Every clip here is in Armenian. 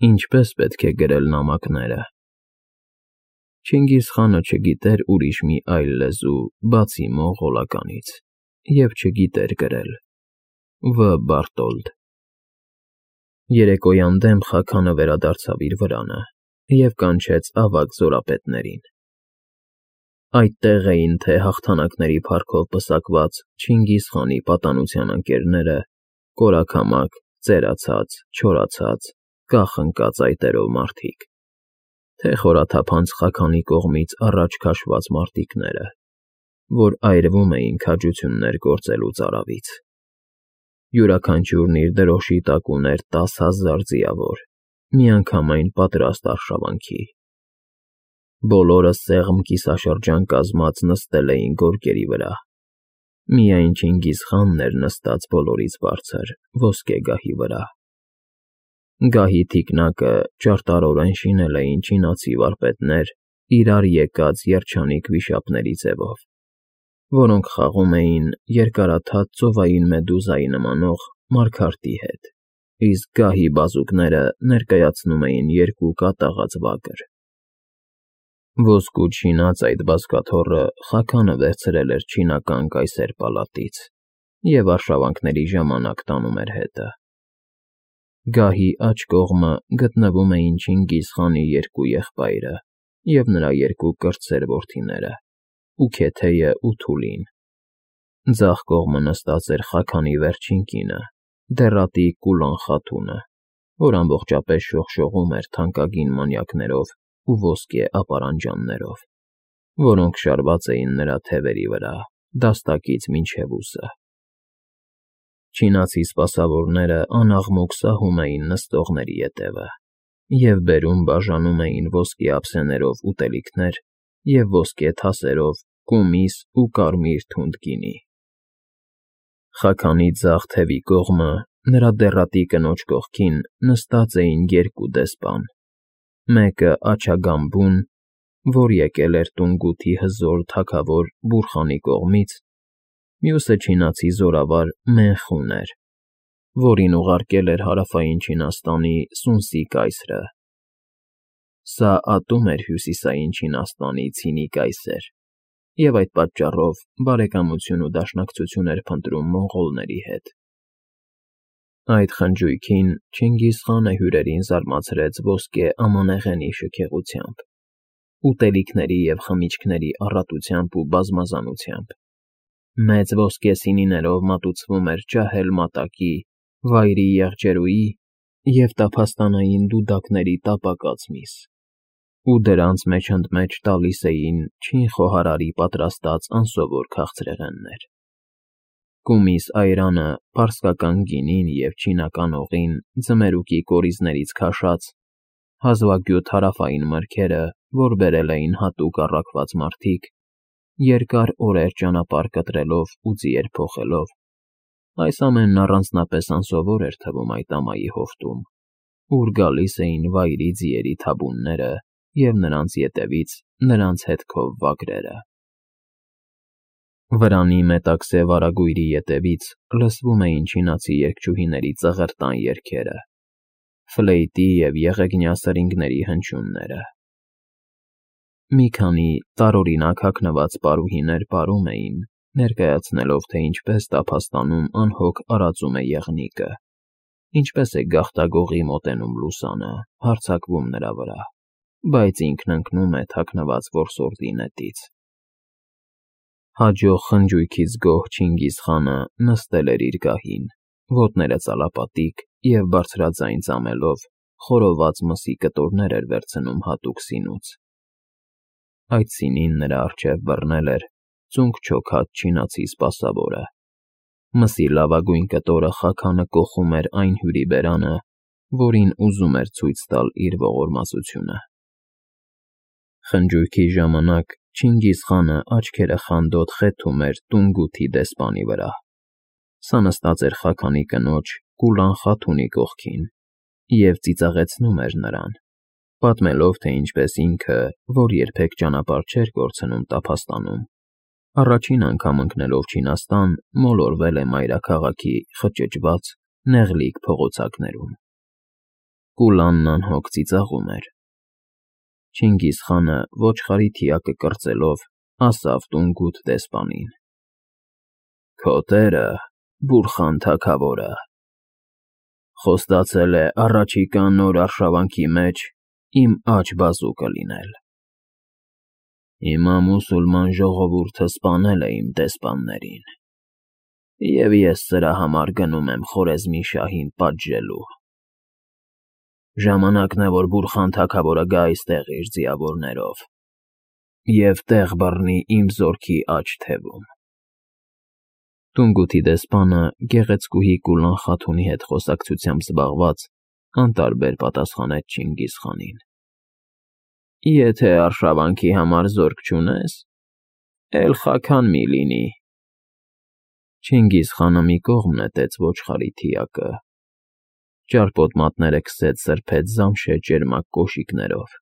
Ինչպես պետք է գրել նամակները։ Չինգիզ խանը չգիտեր ուրիշ մի այլ լեզու, բացի մոնղոլականից, և չգիտեր գրել. Վ. Բարտոլդ։ Երեկոյան դեմ Խաքանը վերադարձավ իր վրանը և կանչեց ավագ զորապետներին։ Այդտեղ էին թե հաղթանակների փառքով պսակված Չինգիզ խանի պատանության ընկերները, կորակամակ, ծերացած, չորացած, կախ ընկած այտերով մարդիկ, թե խորաթափանց Խաքանի կողմից առաջ քաշված մարտիկները, որ այրվում էին քաջություններ գործելուց արավից։ Յուրաքանչյուրն իր դրոշի տակ ուներ 10,000 ձիավոր, միանգամայն պատրաստ արշավանքի։ Բոլորը սեղմ կիսաշրջան կազմած նստել էին գորգերի վրա։ Միայն Չինգիզ խանն էր նստած բոլորից բարձր, ոսկե գահի վրա։ Գահի թիկնակը ճարտարորեն շինել էին չինացի վարպետներ իրար եկած երջանիկ վիշապների ձևով, որոնք խաղում էին երկարաթաթ ծովային մեդուզայի նմանող մարգարտի հետ, իսկ գահի բազուկները ներկայացնում էին երկու կատաղած վագր։ Ոսկուց շինած այդ բազկաթոռը Խաքանը վերցրել էր չինական կայսեր պալատից և արշավանքների ժամանակ տանում էր հետը։ Գահի աջ կողմը գտնվում էին Չինգիզ խանի երկու եղբայրը և նրա երկու կրտսեր որդիները՝ Ուքեթեյը ու Թուլին։ Ձախ կողմը նստած էր Խաքանի վերջին կինը՝ դեռատի Կուլան խաթունը, որ ամբողջապես շողշողում էր թանկագին մանյակներով ու ոսկե ապարանջաններով, որոնք շարված էին նրա թևերի վրա, դաստակից մինչև ուսը։ Չինացի սպասավորները անաղմուկ սահում էին նստողների ետևը և բերում֊բաժանում էին ոսկե ափսեներով ուտելիքներ և ոսկե թասերով կումիս ու կարմիր թունդ գինի։ Խաքանի ձախ թևի կողմը, նրա դեռատի կնոջ կողքին, նստած էին երկու դեսպան, մեկը Աջագամբուն, որ եկել էր Տունգութի հզոր թագավոր Բուրխանի կողմից, մյուսը չինացի զորավար Մենխուն էր, որին ուղարկել էր Հարավային Չինաստանի Սունսի կայսրը։ Սա ատում էր Հյուսիսային Չինաստանի Ցինի կայսեր և այդ պատճառով բարեկամություն ու դաշնակցություն էր փնտրում մոնղոլների հետ։ Այդ խնջույքին Չինգիզ խանը հյուրերին զարմացրեց ոսկե ամանեղենի շքեղությամբ, ուտելիքների և խմիչքների առատությամբ ու բազմազանությամբ։ Մեծ ոսկե սինիներով մատուցվում էր ջահել մատակի, վայրի եղջերուի և տափաստանային դուդակների տապակած միս, ու դրանց մեջ ընդ մեջ տալիս էին չին խոհարարի պատրաստած անսովոր քաղցրեղեններ։ Կումիս այրանը, պարսկական գինին և չինական օղին, ձմերուկի կորիզներից քաշած, հազվագյուտ հարավային մրգերը, որ բերել էին հատուկ առաքված մարդիկ, երկար օրեր ճանապարհ կտրելով ու ձիեր փոխելով, այս ամենն առանձնապես անսովոր էր թվում այդ ամայի հովտում, ուր գալիս էին վայրի ձիերի թաբունները և նրանց ետևից նրանց հետքով վագրերը։ Վրանի մետաքսե վարագույրի ետևից լսվում էին չինացի երգչուհիների ծղրտան երգերը, ֆլեյտի և եղեգնյա սրինգների հնչյունները։ Մի քանի տարօրինակ հագնված պարուհիներ պարում էին, ներկայացնելով, թե ինչպես տափաստանում անհոգ արածում է եղնիկը, ինչպես է գաղտագողի մոտենում լուսանը, հարձակվում նրա վրա, բայց ինքն ընկնում է թաքնված որսորդի նետից։ Հաջող խնջույքից գոհ Չինգիզ խանը նստել էր իր գահին, ոտները ծալապատիկ և բարձրաձայն ծամելով խորոված մսի կտորներ էր վերցնում հատուկ սինուց։ Այդ սինին նրա առջև բռնել էր ծունկ չոքած չինացի սպասավորը։ Մսի լավագույն կտորը Խաքանը կոխում էր այն հյուրի բերանը, որին ուզում էր ցույց տալ իր ողորմածությունը։ Խնջույքի ժամանակ Չինգիզ խանը աչքերը խանդոտ խեթում էր Տունգութի դեսպանի վրա։ Սա նստած էր Խաքանի կնոջ Կուլան խաթունի կողքին և ծիծաղեցնում էր նրան, պատմելով, թե ինչպես ինքը, որ երբեք ճանապարհ չէր կորցնում տափաստանում, առաջին անգամ ընկնելով Չինաստան, մոլորվել է մայրաքաղաքի խճճված, նեղլիկ փողոցակներում։ Կուլանն անհոգ ծիծաղում էր։ Չինգիզ խանը ոչխարի թիակը կրծելով ասավ տունգութ դեսպանին. «Քո տերը, Բուրխան թագավորը, խոստացել է առաջիկա նոր արշավանքի մեջ իմ աջ բազուկը լինել։ Հիմա մուսուլման ժողովուրդը սպանել է իմ դեսպաններին, և ես սրա համար գնում եմ Խորեզմի շահին պատժելու։ Ժամանակն է, որ Բուրխան թագավորը գա այստեղ իր ձիավորներով և տեղ բռնի իմ զորքի աջ թևում»։ Տունգութի դեսպանը գեղեցկուհի Կուլան Խաթունի հետ խոսակցությամբ զբաղված անտարբեր պատասխանեց Չինգիզ խանին. «Եթե արշավանքի համար զորք չունես, էլ խաքան մի լինի»։ Չինգիզ խանը մի կողմ նետեց ոչխարի թիակը, ճարպոտ մատները քսեց սրբեց զամշե ճերմակ կոշիկներով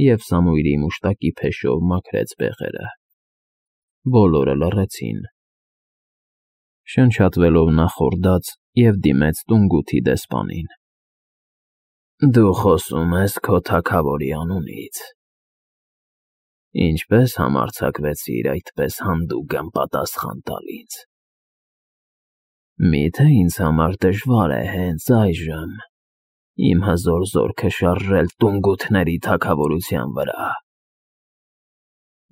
և Սամուիլի մուշտակի փեշով մաքրեց բեղերը։ Բոլորը լռեցին։ Շնչատվելով նա խորդաց և դիմեց Տունգութի դեսպանին. «Դու խոսում ես քո թագավորի անունից. ինչպե՞ս համարձակվեցիր այդպես հանդուգն պատասխան տալ ինձ։ Մի՞թե ինձ համար դժվար է հենց այժմ իմ հզոր զորքը շարժել տունգութների թագավորության վրա։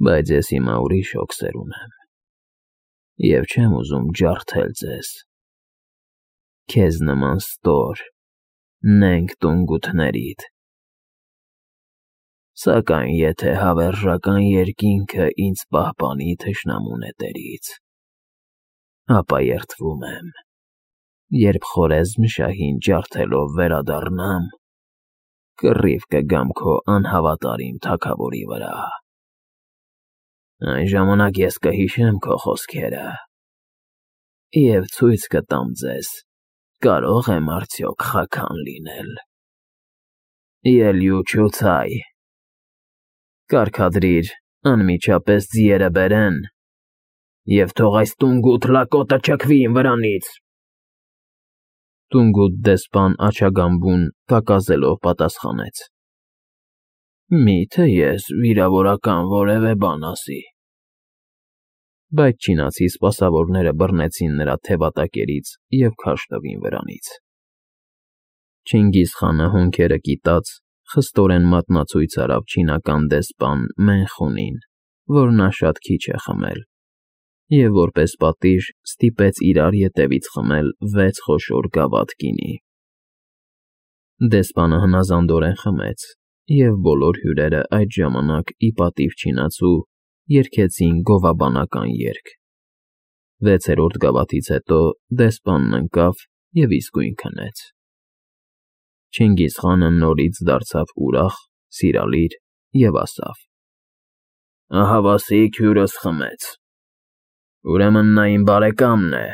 Բայց ես հիմա ուրիշ հոգսեր ունեմ և չեմ ուզում ջարդել ձեզ, քեզ նման ստոր, նենգ տունգութներիդ։ Սակայն եթե հավերժական երկինքը ինձ պահպանի թշնամու նետերից, ապա երդվում եմ, երբ Խորեզմ շահին ջարդելով վերադառնամ, կռիվ կգամ քո անհավատարիմ թագավորի վրա։ Այն ժամանակ ես կհիշեմ քո խոսքերը և ցույց կտամ ձեզ՝ կարո՞ղ եմ արդյոք խաքան լինել։ Ելյու չուցայ, կարգադրիր անմիջապես ձիերը բերեն և թող այս տունգութ լակոտը չքվի իմ վրանից»։ Տունգութ դեսպան աջագամբուն կակազելով պատասխանեց. «Մի՞թե ես վիրավորական որևէ բան ասի»։ Բայց չինացի սպասավորները բռնեցին նրա թևատակերից և քարշ տվին վրանից։ Չինգիզ խանը հոնքերը կիտած խստորեն մատնացույց արավ չինական դեսպան Մենխունին, որ նա շատ քիչ է խմել, և որպես պատիժ ստիպեց իրար ետևից խմել 6 խոշոր գավաթ գինի։ Դեսպանը հնազանդորեն խմեց, և բոլոր հյուրերը այդ ժամանակ ի պատիվ չինացու երգեցին գովաբանական երգ։ 6-րդ գավաթից հետո դեսպանն ընկավ և իսկույն քնեց։ Չինգիզ խանը նորից դարձավ ուրախ, սիրալիր և ասավ. «Ահավասիկ հյուրս խմեց, ուրեմն նա իմ բարեկամն է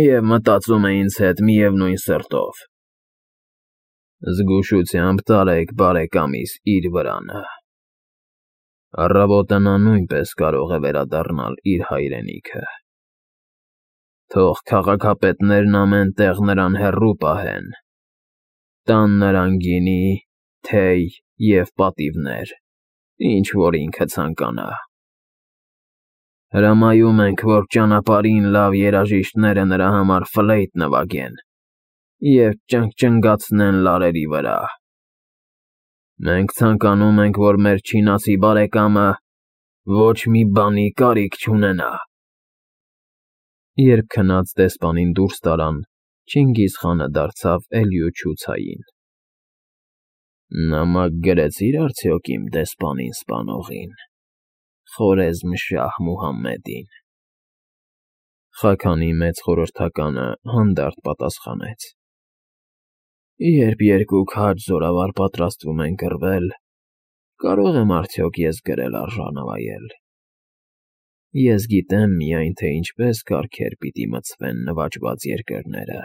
և մտածում է ինձ հետ միևնույն սրտով։ Զգուշությամբ տարեք բարեկամիս իր վրանը։ Առավոտը նա նույնպես կարող է վերադառնալ իր հայրենիքը։ Թող քաղաքապետներն ամեն տեղ նրան հեռու պահեն, տան նրան գինի, թեյ և պատիվներ, ինչ որ ինքը ցանկանա։ Հրամայում ենք, որ ճանապարհին լավ երաժիշտները նրա համար ֆլեյտ նվագեն և ճնգճնգացնեն լարերի վրա։ Մենք ցանկանում ենք, որ մեր չինացի բարեկամը ոչ մի բանի կարիք չունենա»։ Երբ քնած դեսպանին դուրս տարան, Չինգիզ խանը դարձավ Էլյուչուցային. «Նամակ գրեցի՞ր արդյոք իմ դեսպանին սպանողին, Խորեզմշահ Մուհամմեդին»։ Խաքանի մեծ խորհրդականը հանդարտ պատասխանեց. «Երբ երկու քաջ զորավար պատրաստվում են կռվել, կարո՞ղ եմ արդյոք ես գրել արժանավայել։ Ես գիտեմ միայն, թե ինչպես կարգեր պիտի մտցվեն նվաճված երկրները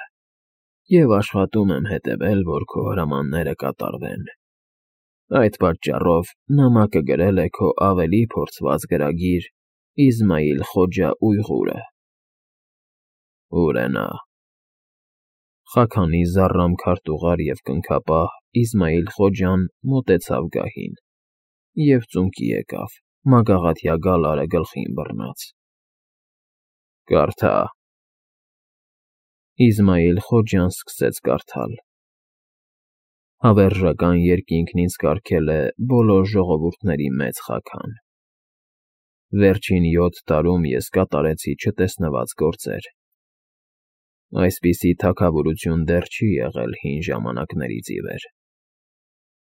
և աշխատում եմ հետևել, որ քո հրամանները կատարվեն։ Այդ պատճառով նամակը գրել է քո ավելի փորձված գրագիր Իսմայիլ Խոջա Ույղուրը»։ «Ո՞ւր է նա»։ Խաքանի զառամ քարտուղար և կնքապահ Իսմայիլ Խոջան մոտեցավ գահին և ծունկի եկավ, մագաղաթյա գալարը գլխին բռնած։ Կարդա։ Իսմայիլ Խոջան սկսեց կարդալ. Հավերժական երկինքն ինձ կարգել է բոլոր ժողովուրդների մեծ խագան։ Վերջին 7 տարում ես կատարեցի չտեսնված գործեր։ Այսպիսի թագավորություն դեռ չի եղել հին ժամանակներից ի վեր։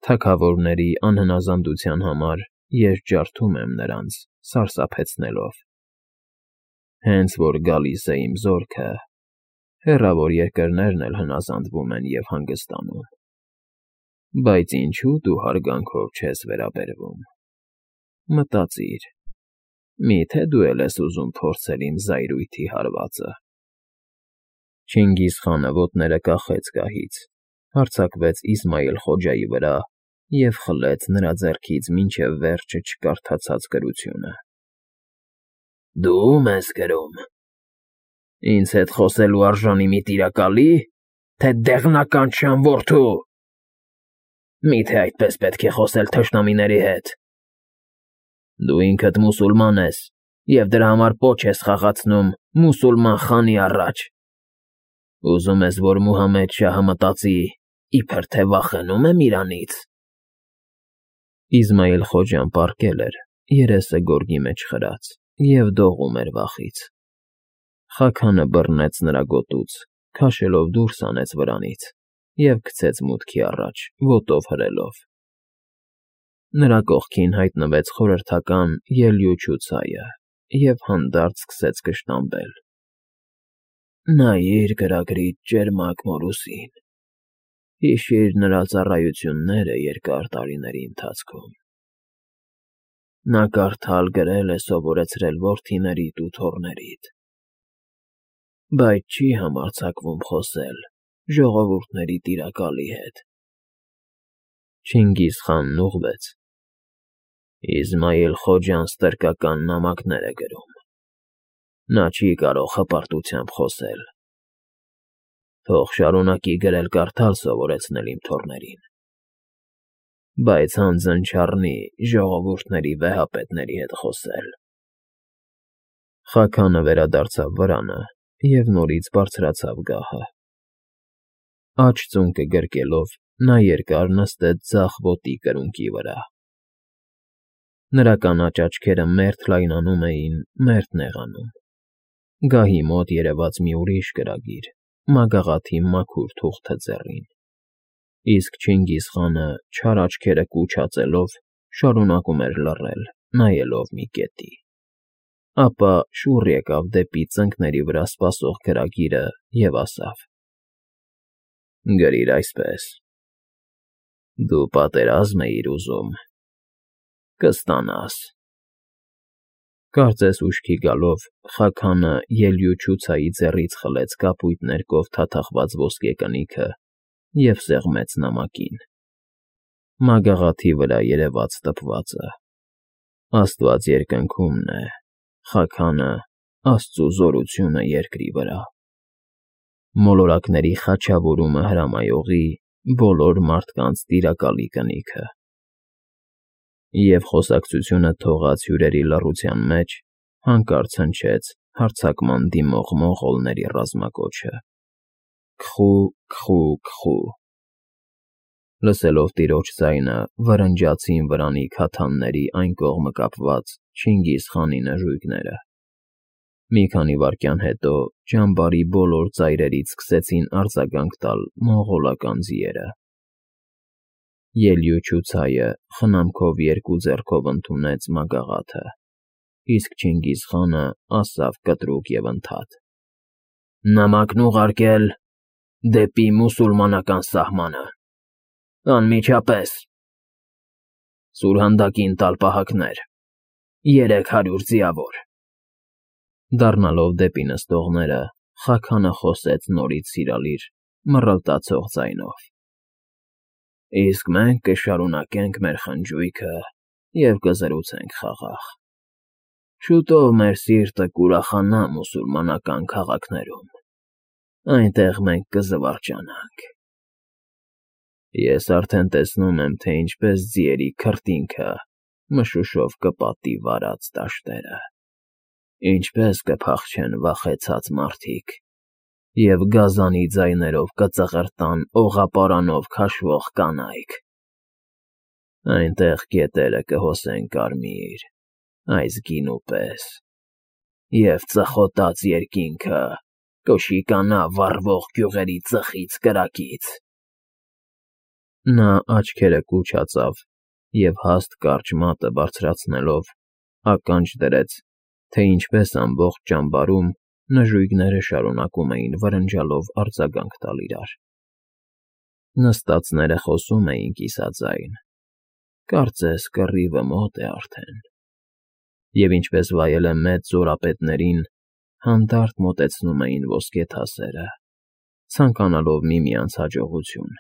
Թագավորների անհնազանդության համար ես ջարդում եմ նրանց, սարսափեցնելով։ Հենց որ գալիս է իմ զորքը, հեռավոր երկրներն էլ հնազանդվում են և հանգստանում։ Բայց ինչու դու հարգանքով չես վերաբերվում։ Մտածիր, միթե դու էլ ես ուզում փորձել իմ զայրույթի հարվածը։ Չինգիզ խանը ոտները կախեց գահից, հարձակվեց Իսմայիլ Խոջայի վրա և խլեց նրա ձեռքից մինչև վերջը չկարդացած գրությունը։ Դու ո՞ւմ ես գրում։ Ինձ հետ խոսելու արժանի մի տիրակալի՞, թե դեղնական չան որդու։ Միթե այդպես պետք է խոսել թշնամիների հետ։ Դու ինքդ մուսուլման ես և դրա համար պոչ ես խաղացնում մուսուլման խանի առաջ։ Ուզում ես, որ Մուհամեդ շահը մտածի, իբր թե վախենում եմ իրանից։ Իսմայիլ Խոջան պառկել էր, երեսը գորգի մեջ խրած, և դողում էր վախից։ Խաքանը բռնեց նրա գոտուց, քաշելով դուրս հանեց վրանից և գցեց մուտքի առաջ, ոտով հրելով։ Նրա կողքին հայտնվեց խորհրդական ելյուչու ցայը և հանդարտ սկսեց կշտամբել։ Նայիր գրագրիդ ճերմակ մորուսին, հիշիր նրա ծառայությունները երկար տարիների ընթացքում։ Նա կարդալ գրել է սովորեցրել որդիներիդ ու թոռներիդ, բայց չի համարձակվում խոսել ժողովուրդների տիրակալի հետ։ Չինգիզ խանն ուղղվեց. Իսմայիլ Խոջան ստրկական նամակներ է գրում։ Նա չի կարող հպարտությամբ խոսել։ Թող շարունակի գրել֊կարդալ սովորեցնել իմ թոռներին, բայց հանձն չառնի ժողովուրդների վեհապետների հետ խոսել։ Խաքանը վերադարձավ վրանը և նորից բարձրացավ գահը։ Աջ ծունկը գրկելով, նա երկար նստեց ձախ ոտի կրունկի վրա։ Նրա կանաչ աչքերը մերթ լայնանում էին, մերթ նեղանում։ Գահի մոտ երևաց մի ուրիշ գրագիր, մագաղաթի մաքուր թուղթը ձեռին, իսկ Չինգիզ խանը չար աչքերը կուչ հածելով շարունակում էր լռել, նայելով մի կետի։ Ապա շուռ եկավ դեպի ծնկների վրա սպասող գրագիրը և ասավ. Գրիր այսպես. Դու պատերազմ էիր ուզում, կստանաս։ Կարծես ուշքի գալով, Խաքանը ելյուչու ցայի ձեռից խլեց կապույտ ներկով թաթախված ոսկե կնիքը և սեղմեց նամակին։ Մագաղաթի վրա երևաց տպվածը. Աստված երկնքումն է, Խաքանը Աստծու զորությունը երկրի վրա։ Մոլորակների խաչավորումը հրամայողի բոլոր մարդկանց տիրակալի կնիքը։ Եվ խոսակցությունը թողած հյուրերի լռության մեջ հանկարծ հնչեց հարձակման դիմող մոնղոլների ռազմակոչը. Քխու, քխու, քխու։ Լսելով տիրոջ ձայնը, վրնջացին վրանի քաթանների այն կողմը կապված Չինգիզ խանի նժույգները։ Մի քանի վայրկյան հետո ճամբարի բոլոր ծայրերից սկսեցին արձագանք տալ մոնղոլական ձիերը։ Ելյուչու ցայը խնամքով երկու ձեռքով ընդունեց մագաղաթը, իսկ Չինգիզ խանը ասավ կտրուկ և ընդհատ. Նամակն ուղարկել դեպի մուսուլմանական սահմանը։ Անմիջապես։ Սուրհանդակին տալ պահակներ, 300 ձիավոր։ Դառնալով դեպի նստողները, Խաքանը խոսեց նորից սիրալիր, մռլտացող ձայնով. Իսկ մենք կշարունակենք մեր խնջույքը և կզրուցենք խաղաղ։ Շուտով մեր սիրտը կուրախանա մուսուլմանական քաղաքներում, այնտեղ մենք կզվարճանանք։ Ես արդեն տեսնում եմ, թե ինչպես ձիերի քրտինքը մշուշով կպատի վարած դաշտերը, ինչպես կփախչեն վախեցած մարդիկ և գազանի ձայներով կծղրտան օղապարանով քաշվող կանայք. այնտեղ գետերը կհոսեն կարմիր, այս գինու պես, և ծխոտած երկինքը կշիկանա վառվող գյուղերի ծխից կրակից… Նա աչքերը կուչացավ և հաստ կարճ մատը բարձրացնելով ականջ դրեց, թե ինչպես ամբողջ ճամբարում նժույգները շարունակում էին վրնջալով արձագանք տալ իրար. նստածները խոսում էին կիսաձայն, կարծես կռիվը մոտ է արդեն, և ինչպես վայել է մեծ զորապետներին, հանդարտ մոտեցնում էին ոսկե թասերը, ցանկանալով միմյանց հաջողություն,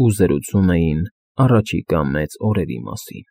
ու զրուցում էին առաջիկա մեծ օրերի մասին։